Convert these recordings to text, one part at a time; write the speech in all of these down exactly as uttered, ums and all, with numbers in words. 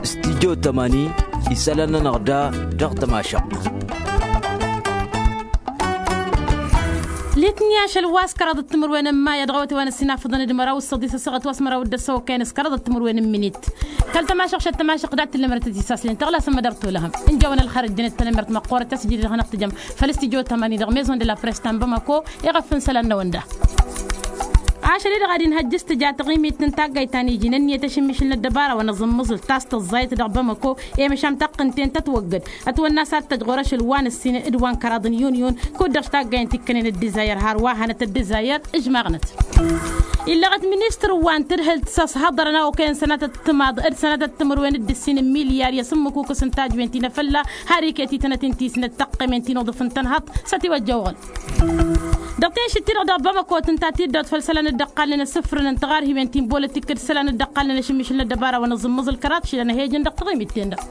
Stidyo tămani isălan-nănăɣ da dăɣ-tămašăɣt. Litni ašăl wa s-kăraḍăt timǝrwen n-maya dăɣ-awăte wa n-ăssinafăḍăn d-măraw s-săḍisăsăɣăt wa s-măraw d-ăssăwăkăyăn s-kăraḍăt timǝrwen n-minit. Kăl-tămašăɣt šăt tămašăɣt dat-tǝllămărăt tisaslen tăɣlasăm mădăr tolăhăm. N-jawăn ălxer ăjjănet tănămert măqqoorăt a-s ǝjǝdăd hanăɣ-tǝjăm făll-stujo tămani dăɣ-maison de la press ta n-bamako. Iɣăf n-isălan-năwăn da. Ašăl-i-dăɣ ad-inhăjj s-tǝja taɣimit n-taggayt ta n-iji n-ǝnniyăt ašǝmmišǝl n-ăddăbara wa n-aẓǝmmǝẓǝl ta s-tǝẓẓayăt dăɣ-bamako. I-măšan taqqǝnten tătwăggăd ătwănna s-ad-tăj ɣur-ašăl wa n-ǝssin d-wa n-kăraḍ n-yuniyun kud-dăɣ-s taggayăn tikkănen ăddizayăr har wa hanăt ăddizayăr. Ǝžmaɣnăt illăɣăt ministăr wa n-tǝdhǝlt s-ăshăḍărăn a okăyăn sănatăt timaḍ d-sănatăt timǝrwen d-ǝssin n-milyar i-asǝmmǝkukǝs n-tajwen ti n-afălla. Har iket-i tănăt-in ti s-năt tăqqemen ti n-uḍǝf n-tănhăḍt s-ătiwăjja oɣăl. Dăɣ-tenšit-ti-dăɣ dăɣ-bamăko tǝnta tiddawt făll-isălan dd-ăqqalnen asǝfrǝn n-tiɣarhiwen ti n-bolătik d-isălan dd-ăqqalnen ašǝmmišǝl n-ăddăbara wa n-aẓǝmmǝẓǝl kăraḍ šilăn ahej-in dăɣ-taɣimit-ten-dăɣ.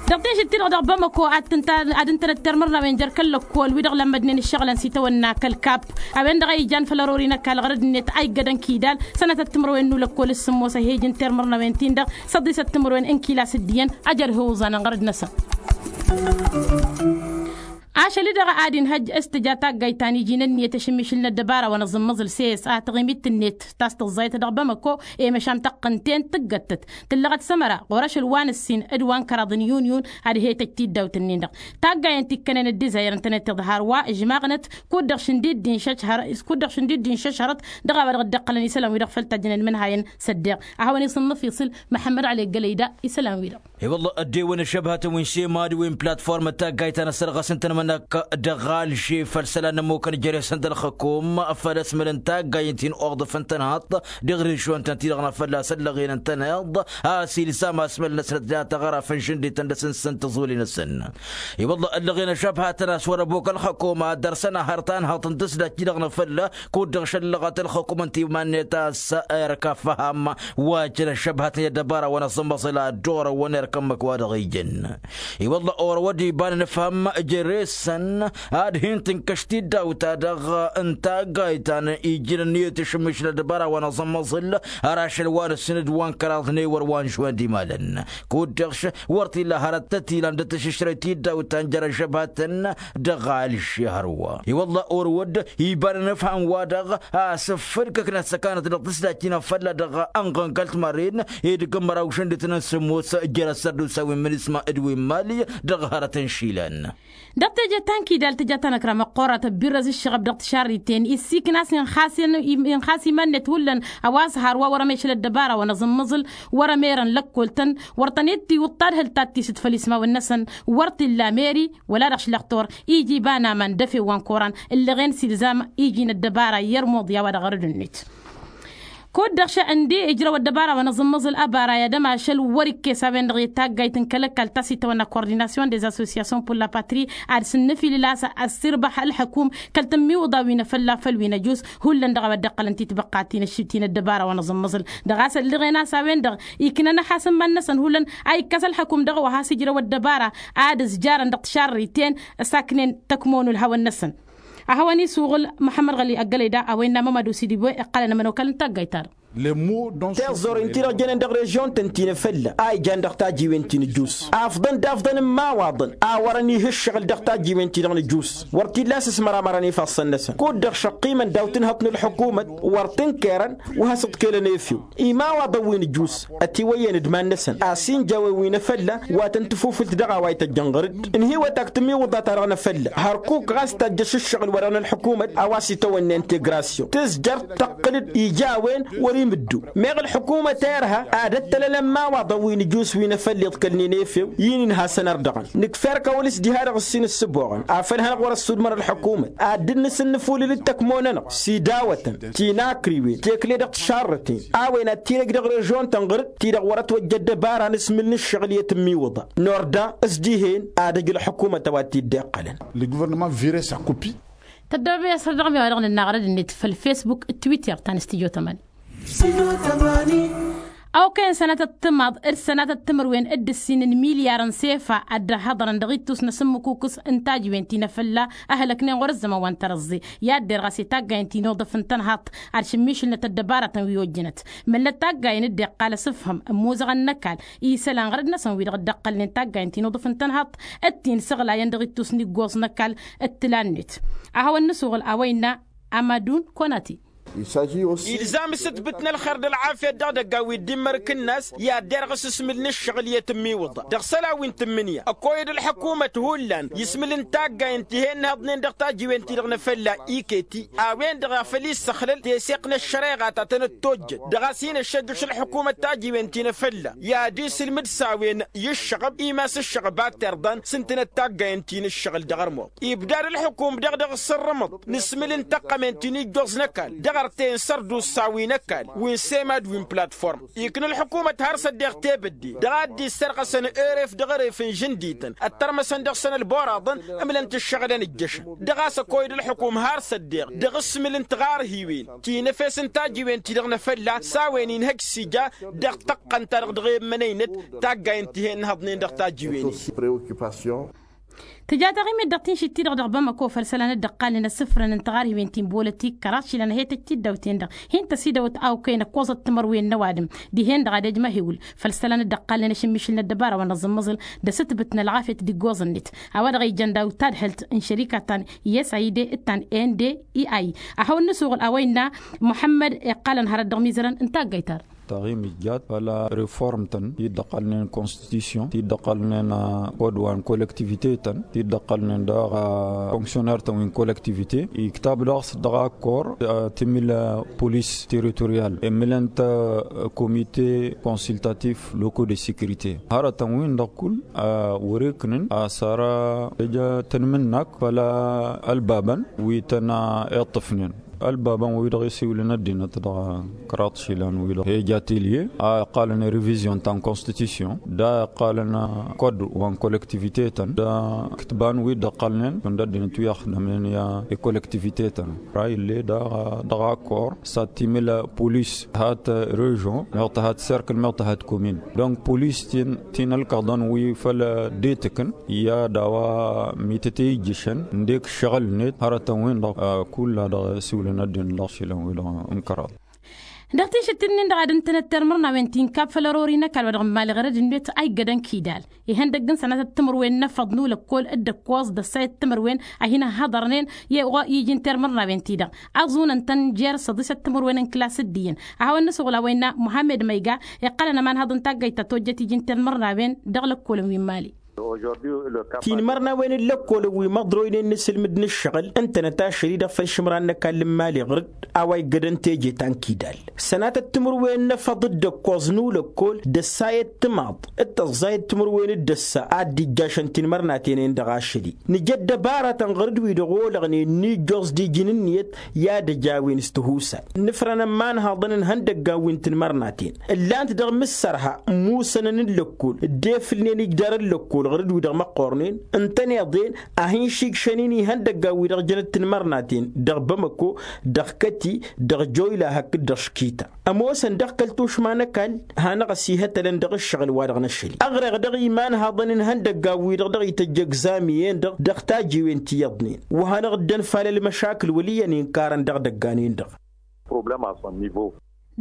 Dăɣ-tenšit-ti-dăɣ dăɣ-bamăko ad-tǝntăn ad-ǝntănăt termărnawen jer-kăl-lăkkol wi-dăɣ lămmădnen ǝššăɣǝlăn s-itawănna kăl-kapp a-wen-dăɣ a ijan făll-ărori n-ăkall ɣărăd-net a iggădăn kidal. Sănatăt timǝrwen n-ulăkkol s-sǝmmos ahej n-termărnawen-tin-dăɣ s-ăḍḍisăt timǝrwen n-kila s-ǝddiyăn. Ajăl hǝwǝẓan ănɣărăd-năsăn. Ašăl-i-dăɣ ad-inhăjj s-tǝja taggayt ta n-iji n-ǝnniyăt ašǝmmišǝl n-ăddăbara wa n-aẓǝmmăẓǝl s-e s-a taɣimit-net ta s-tǝẓẓayăt dăɣ-bamăko. I-măšan tăqqǝnten tǝggăttăt tǝllăɣăt sămăra ɣur-ašăl wa n-ǝssin d-wa n-kăraḍ n-yunyun. Ad-he-tăj tiddawt-nin-dăɣ taggayen ti ǝkkănen ăddizayăr ǝntănet tiḍhar wa ǝžmaɣnăt kud-dăɣ šǝndid-di n-šăšhărăt. Kud-dăɣ šǝndid-di n-šăšhărăt dăɣ-a-wa dăɣ-dd-ǝqqălăn isălan-wi-dăɣ făll-tajjănen imǝnhayăn s-ăddeɣ. A hawăn-isǝnnǝf iṣǝl măḥămmăd ălek gălăyda isălan-wi-dăɣ. I-wălla ăddewăn ăššăbhătăn wi n-se mad-wi n-platform n-taggayt ta n-ăssărɣăs ǝntăn mănăk dăɣ-alže făll-isălan n-ămmukăn jere-săn d-ălxăkum făll-ăsmăl n-taggayen ti n-oḍǝf n-tănhăḍt. Dăɣ-režion-tăn ti-dăɣ n-afălla s-ăllăɣen n-tănhăḍt a-s ilzam asmăl-năsnăt data ɣăraf n-žǝndităn d-asǝnsăn tăẓoli-năsăn. I-wălla ăllăɣen ăššăbhătăn a-s wăr-ăbok ălxăkum ad-dăr-săn ahăr tanhăḍt n-tǝsdăt ti-dăɣ n-afălla kud-dăɣ šăllăɣăt ălxăkum n-timan-net a-s erk afham wa jăn ăššăbhătăn i-ăddăbara wa n-aẓǝmmăẓǝl ad-dd-orăwăn erk ǝmmǝk wa dăɣ-ijăn. I-wălla orăwăd iba n-anǝfhăm jere-săn ad-hin-tǝnkăš tiddawt-ta-dăɣ n-taggayt ta n-iji n-ǝnniyăt ašǝmmiš n-ăddăbara wa n-aẓǝmmăẓǝl. Har ašăl wa n-ǝssin d-wa n-kăraḍ n-ewăr wa n-žwen d-imalăn kud-dăɣ wăr t-illa hărăt tăt-ilan d-tǝšǝšrăy tiddawt ta n-jer-ăžžăbhătăn. Dăɣ-alže hărwa i-wălla orăwăd iba n-anǝfhăm wa-dăɣ a-s ǝffǝlkăknăt s-ăkanăt dăɣ-tǝsdajt-in afălla dăɣ-ănɣănkăl timărren edăgg n-măraw šăndităn n-sǝmmos jer-ăssărdusa wi n-minisma d-wi n-mali. Dăɣ-hărăt n-išilan. Dăɣ-teje ta n-kidal tǝja tanăkra măqqorat ăbbirrăz ǝššăɣăb dăɣ-tišarriten issikna a-s inxas iman-net hullan a-wa s-har wa wăr-ămeš ălăddăbara wa n-aẓǝmmăẓǝl wăr-ămerăn lăkkol-tăn. Wăr tăn-dd-tiwǝḍ tadhǝlt ta t-tisǝt făll-ismawăn-năsăn wăr t-illa meri wăla dăɣ-ašlăxtor. Iji iba n-aman d-efew wa n-koran ǝllăɣen s-ilzam iji n-ăddăbara i-ărmuḍ i-a-wa dăɣ-arăd-net. Kud-dăɣ šăɣ ǝndi ijrăw ăddăbara wa n-aẓǝmmăẓǝl ăbara i-ad-ămašăl wăr-ikkes a-wen-dăɣ i-taggayt n-kăl-ăkall ta s-itawănna coordination des associations pour la patrie ad-sǝnnǝfilǝl a-s ăssirbăh ălxăkum kăl-tǝmmiwǝḍa wi n-afălla făll-wi n-ăjus. Hullan dăɣ-a-wa dd-ăqqălăn titbăqqa ti n-aššit ti n-ăddăbara wa n-aẓǝmmăẓǝl dăɣ-a-s ăllăɣen a-s a-wen-dăɣ iknăn ăhass n-iman-năsăn hullan a ikkas ălxăkum dăɣ-a-wa has-ijrăw ăddăbara ad-ǝzjarăn dăɣ-tišarriten. S-aknen tăkmon ulhawăn-năsăn a hawăn-isuɣǝl măḥămmăd ɣăli ăggălăy da a-wa innă mămădu sidibwe iqqălăn ămănokal n-taggayt-ta-dăɣ. Tiẓẓorin-ti-dăɣ jănen dăɣ-režion-tăn ti n-afălla a ijan dăɣ-tajiwen ti n-ǝjus afḍăn d-afḍăn n-imawaḍăn a wărăn ih' ǝššăɣǝl dăɣ-tajiwen-ti-dăɣ n-ǝjus. Wăr t-illa a-s ăsmăramărăn ifassăn-năsăn kud-dăɣ šăqqimăn daw-tǝnhăḍt n-ălḥukumăt wăr tǝnkerăn wa has-ǝḍkelăn efew imawaḍăn wi n-ǝjus. Ătiwăyyăn d-iman-năsăn a-s injăwen wi n-afălla wa tăn-tǝfufǝlt dăɣ-a-wa ităjjăn ɣăr-dd ǝnhǝywăt ak tǝmiwǝḍa-ta-dăɣ n-afălla hărkuk ɣas tajjăš ǝššăɣǝl-wa-dăɣ n-ălḥukumăt a-wa s-itawănna integrasyon tǝzjăr tăqqǝl-dd ija a-wen wăr-imǝddu. Meɣ ălḥukumăt irha ad-ăttălălăn imawaḍăn wi n-ǝjus wi n-afălla iḍkălnen efew i-inǝnhasăn ar dăɣ-ănn nǝkf'-erk a-wa n-s diha-dăɣ ǝssin ǝssǝboɣăn afăl hanăɣ-wăr-ăssudmăr ălḥukumăt ad-dd-nǝsǝnnǝfulǝl d-tăkmonănăɣ s-idawătăn tinakriwen tekled dăɣ-tišarrăten a-wen ad-t-inăj dăɣ-režion-tăn ɣǝr-dd ti-dăɣ wăr-ătwăjja ăddăbara n-asmǝl n-ǝššăɣǝl i-tǝmmiwǝḍa n-ordă s-dihen ad-ăj ălḥukumăt a-wa t-dd-iqqălăn. Le gouvernement vire sa copie. Tăddobes dăɣ-mi a-wa dăɣ-nǝnnaɣ rădd-net făll-facebook d-twitter ta n-studio tămani. A okăyăn sănatăt timaḍ d-sănatăt timǝrwen d-ǝssin n-milyar n-sefa ad-dd-ăhhăḍărăn dăɣ-ittus n-asǝmmǝkukǝs n-tajǝwen ti n-afălla ăhlăknen ɣur-ăzzăman wa n-tărăẓẓe. I-ad-derɣas i-taggayăn ti n-uḍǝf n-tănhaḍt ad-šǝmmišǝlnăt ăddăbarătăn wi ojjănăt. Măllăt taggayăn dd-iqqal asǝfhǝm n-imuzăɣăn n-ăkall isălan ɣur-dd-năsăn wi-dăɣ dd-ăqqălnen taggayăn ti n-uḍǝf n-tănhaḍt d-ti n-săɣlayăn dăɣ-ittus n-iggoẓ n-ăkall d-tǝla-net. A hawăn-nǝsuɣǝl a-wa innă amadun konati. Ilzam s-ǝtbǝt n-ălxer d-ălɣafyăt dăɣ-idăggan wi dd-immărk ǝnnas i-ad-derɣăs asmǝl n-ǝššăɣǝl i-tǝmmiwǝḍa dăɣ-isălan wi n-tǝmmǝnǝya ăkoyăd ălḥăkumăt hullan ismǝl n-taggayăn ti he-ǝnnihăḍnen dăɣ-tajiwen-ti-dăɣ n-afălla iket-i a-wen-dăɣ a făl issăxlăl teseɣt n-ăššăreɣa ta tănăt-tojjăt dăɣ-a-s hin-ăššăjjăš ălḥukumăt tajiwen-ti n-afălla i-ad-isǝlmǝd s-a-wen i-ǝššăɣăb imas ǝššăɣăb ad-terḍăn s-ǝntǝnăt taggayăn ti n-ǝššăɣǝl dăɣ-ărmuḍ. Ibdad ǝlxǝkum dăɣ-dăɣ ǝssărrǝmăḍ n-asmǝl n-taqqămen ti n-ijjoẓ n-ăkall dăɣ-artey n-sărdusa wi n-ăkall wi n-semad wi n-platform. Ikna ălxǝkumăt har s-ăddeɣ tebădde dăɣ-ad-dd-issărɣăsăn eref dăɣ-eref n-žǝndităn ăttărmăsăn dăɣ-săn ălboraḍăn ǝmlăn-t ǝššăɣǝlăn ǝjjăšăn. Dăɣ-a-s ăkoyăd ălxǝkum har s-ăddeɣ dăɣ-asmǝl n-tiɣarhiwen ti n-efes n-tajiwen-ti-dăɣ n-afălla s-a-wen inhăj s-ija dăɣ-tăqqăn-ta-dăɣ dăɣ-e ǝmmănăynăt taggayen ti he-ǝnhăḍnen dăɣ-tajiwen-i. Tǝja taɣimit dăɣ-tinšit-ti-dăɣ dăɣ-bamăko făll-isălan dd-ăqqalnen asǝfrăn n-tiɣarhiwen ti n-bolătik kăraḍ išilan a he-tăj tiddawt-en-dăɣ hin-tăsidăwăt a okăyăn ăkkoẓăt timărwen n-ăwadǝm dihen-dăɣ ad-ejmăhewǝl făll-isălan dd-ăqqalnen ašǝmmišǝl n-ăddăbara wa n-aẓǝmmăẓǝl d-asǝtbǝt n-ălɣafyăt d-iggoẓăn-net. A-wa-dăɣ ijăn daw-dd tadhǝlt n-šărika ta n-i s a i d ta n-n d i a i a hawăn-nǝsuɣǝl a-wa innă muḥămmăd iqqalăn hărăt dăɣ-imizărăn n-taggayt-ta-dăɣ. Taɣimit jat făll-reform-tăn ti dd-ăqqalnen constitution ti dd-ăqqalnen kod wa n-kollektivite-tăn ti dd-ăqqalnen daɣ fonksioner-tăn wi n-kollektivite iktab daɣ s-dăɣ-a kor timǝl polis teritorial emǝlăn-t komite konsultatif locaux de securite. Hărătăn-win-dăɣ kull wăr-iknǝn a-s ara ija tănmǝnnak făll-ălbabăn wi tăn-iṭṭǝfnen ălbabăn-wi-dăɣ isiwǝlăn ăddinăt dăɣ-kăraḍ išilan-wi-dăɣ he-ija tilye a iqqalăn revizyon ta n-konstitution da iqqalăn kod wa n-kollektivite-tăn da ǝktǝban wi dd-ăqqalnen šund ăddinăt wi ăxdămnen i-kollektivite-tăn. Ra ill'-e daɣ dăɣ-akor s-ad-timǝl polis hat režon meɣ tăhat serkǝl meɣ tăhat komin donc polis ti n-ălkăḍăn wi făll-detǝkǝn i-ad-a-wa mităt i-ijjǝšăn ǝndek ǝššăɣǝl-net hărătăn-win-dăɣ kull-a-dăɣ isiwǝlăn ăddin dăɣ-išilan-wi-dăɣ n-kăraḍ. Dăɣ-tinšǝttin-nin-dăɣ ad-ǝntănăt termărnawen ti n-kab făll-ărori n-ăkall wa dăɣ-n mali ɣărăd-net a iggădăn kidal ihăndăgg n-sănatăt timǝrwen n-efăḍ n-ulăkkol d-ǝkkoẓ d-ăssayăt timǝrwen a hin-ăhhăḍărnen i-iji n-termărnawen-ti-dăɣ ăẓunăn-tăn jer-săḍisăt timǝrwen n-klas d-iyyăn. A hawăn-nǝsuɣǝl a-wa innă muhammed măyga iqqălăn ămanhăḍ n-taggayt ta tojjăt iji n-termărnawen dăɣ-lăkkolăn wi n-mali. Tinmărnawen n-lăkkolăn wi măḍroynen n-asǝlmǝd n-ǝššăɣǝl ǝntănăt ašăl-i-dăɣ făll-išǝmran n-ăkall n-mali ɣǝr-dd a-wa iggădăn teje ta n-kidal sănatăt timǝrwen n-efăḍ d-ǝkkoẓ n-ulăkkol d-ăssayăt timaḍ d-tăẓẓayăt timǝrwen d-ăssa ad-dd-ijjašăn tinmărnaten-en-dăɣ ašăl-i nǝja ăddăbarătăn ɣǝr-dd wi-dăɣ olăɣnen n-ijjoẓ d-iji n-ǝnniyăt i-ad-ăj a-wen s-tihusay. Nǝfrăn ămmanhăḍăn n-ihăndăggan wi n-tinmărnaten ǝllan-t dăɣ-imǝssărha musănăn n-lăkkol dd-efǝlnen ijdar n-lăkkol ɣǝr-dd wi-dăɣ măqqornen ǝntăneḍ-en a hin-išigšăn-in ihăndăggan wi-dăɣ jănăt tinmărnaten dăɣ-bamăko dăɣ-kăti dăɣ-joyla hakd-dăɣ škita. Ămoosăn dăɣ-kăl-tušma n-ăkall hanăɣ-ăsihătălăn dăɣ-ǝššăɣǝl-wa-dăɣ n-ašăl-i ăɣreɣ dăɣ-imanhăḍăn n-ihăndăggan wi-dăɣ dăɣ-ităjj ăgzam iyyăn-dăɣ dăɣ-tajiwen ti iyyăḍnen wa hanăɣ-dd-ănfal ălmăšakǝl wăl' iyyăn inkarăn dăɣ-idăggan-en-dăɣ.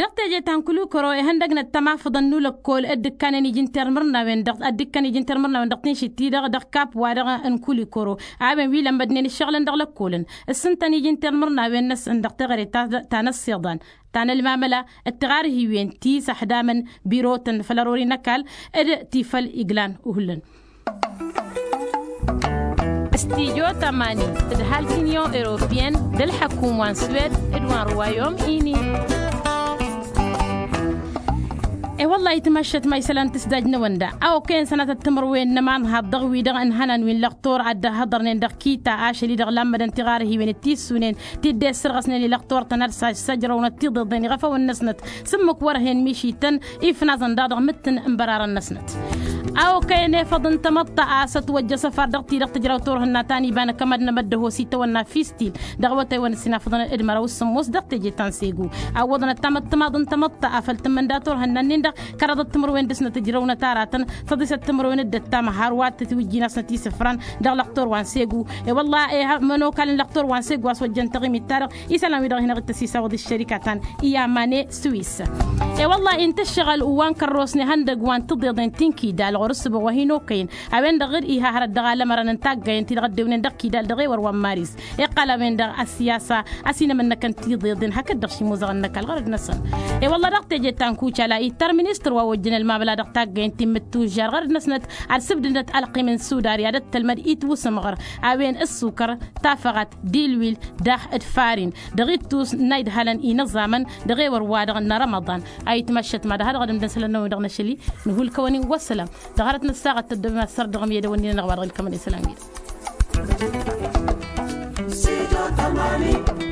Dăɣ-teje ta n-kulikoro ihăndăgnăt tamafǝḍăn n-ulăkkol dd-ǝkkanen iji n-termărnawen dăɣ-tinšit-ti-dăɣ dăɣ-kap-wa-dăɣ n-kulikoro a-wen wi lămmădnen ǝššăɣǝlăn dăɣ-lăkkolăn ǝssǝntăn iji n-termărnawen-năsăn dăɣ-teɣăre ta n-ăssiḍan ta n-ălmamăla d-tiɣarhiwen ti s-ăxdamăn birotăn făll-ărori n-ăkall d-ti făll-iglan. Uhǝllăn s-tidyo tămani d-ăhalk n-inyon europeyăn d-ălḥăkum wa n-swed d-wa n-ruwayom ini. E-wălla-hi tǝmăššăt ma isălan tǝsdaj n-ewănda a okăyăn sănatăt timǝrwen n-ămanhaḍ dăɣ-wi-dăɣ ǝnhănan wi n-lăqtor ad-dd-ăhhăḍărnen dăɣ-kita ašăl-i-dăɣ lammădăn tiɣarhiwen d-tissunen ti dd-e-ăssărɣăsnen i-lăqtor-tăn ad-săjrăwnăt tiḍeḍen iɣăfăwăn-năsnăt s-ǝmmǝk wăr-hen mišităn ifnaẓăn daɣ dăɣ-mǝttǝn n-bărarăn-năsnăt. A okăyăn efăḍ n-tamăḍt a-s ătwăjja săfar dăɣ-ti-dăɣ tǝjraw turhǝnna ta n-iba n-akămad n-emăddăhos itawănna fistil dăɣ-awătay wa n-ǝssin afăḍăn d-măraw s-sǝmmos dăɣ-teje ta n-segu. Awwăḍăn ăttamăḍt timaḍ n-tamăḍt afăl tǝmmǝnda turhǝnna-nin-dăɣ kăraḍăt timǝrwen dăɣ-snăt ǝjrăwnăt aratăn tăḍisăt timǝrwen d-ăttam har wa t-tǝtwǝjjin a-s nătisǝfran dăɣ-lăqtor wa n-segu. I-wălla-i ămănokal n-lăqtor wa n-segu a-s wăjjăn taɣimit-ta-dăɣ isălan-wi-dăɣ hin-ăɣ-dd-tăsisawăḍ ǝššărika ta n-iyamane swis. I-wălla-i n-tǝššăɣăl wa n-kărrosne ihăndăg wa n-tiḍeḍen ti n-kidal ɣur-ǝssǝbăɣ wa hin-okăyăn a-wen-dăɣ dd-iha hărăt dăɣ-alămărăn n-taggayen-ti-dăɣ ăddewnen dăɣ-kidal dăɣ-ewăr wa n-maris. Iqqăl a-wen-dăɣ ăssiyasa ăsinămănnăkăn tiḍeḍen hakd-dăɣ šimuzăɣ-năkall ɣărăd-năsăn. I-wălla dăɣ-teje ta n-kucala ittăr ministăr wa ojjăn ălmabăla dăɣ-taggayen ti n-mǝttujjar ɣărăd-năsnăt ad-sǝbdǝndăt ălqim n-sudar i-ad-ăttălmăd itwǝsǝmɣăr a-wen ǝssukăr tafăɣat d-ilwil daɣ d-farin dăɣ-ittus n-a idhălăn inăẓamăn dăɣ-ewăr-wa-dăɣ n-arămăḍan. A itmăššăt mad-ha dăɣ-ad-ǝmdăn isălan-năwăn-dăɣ n-ašăl-i. Nǝhulkăwăn-in wăssălam. Dăɣ-hărăt n-ăssaɣăt tăddobem ad-săr dăɣ-miyădăwăn-in-anăɣ wa dăɣ-ilkămăn isălan-wi-dăɣ.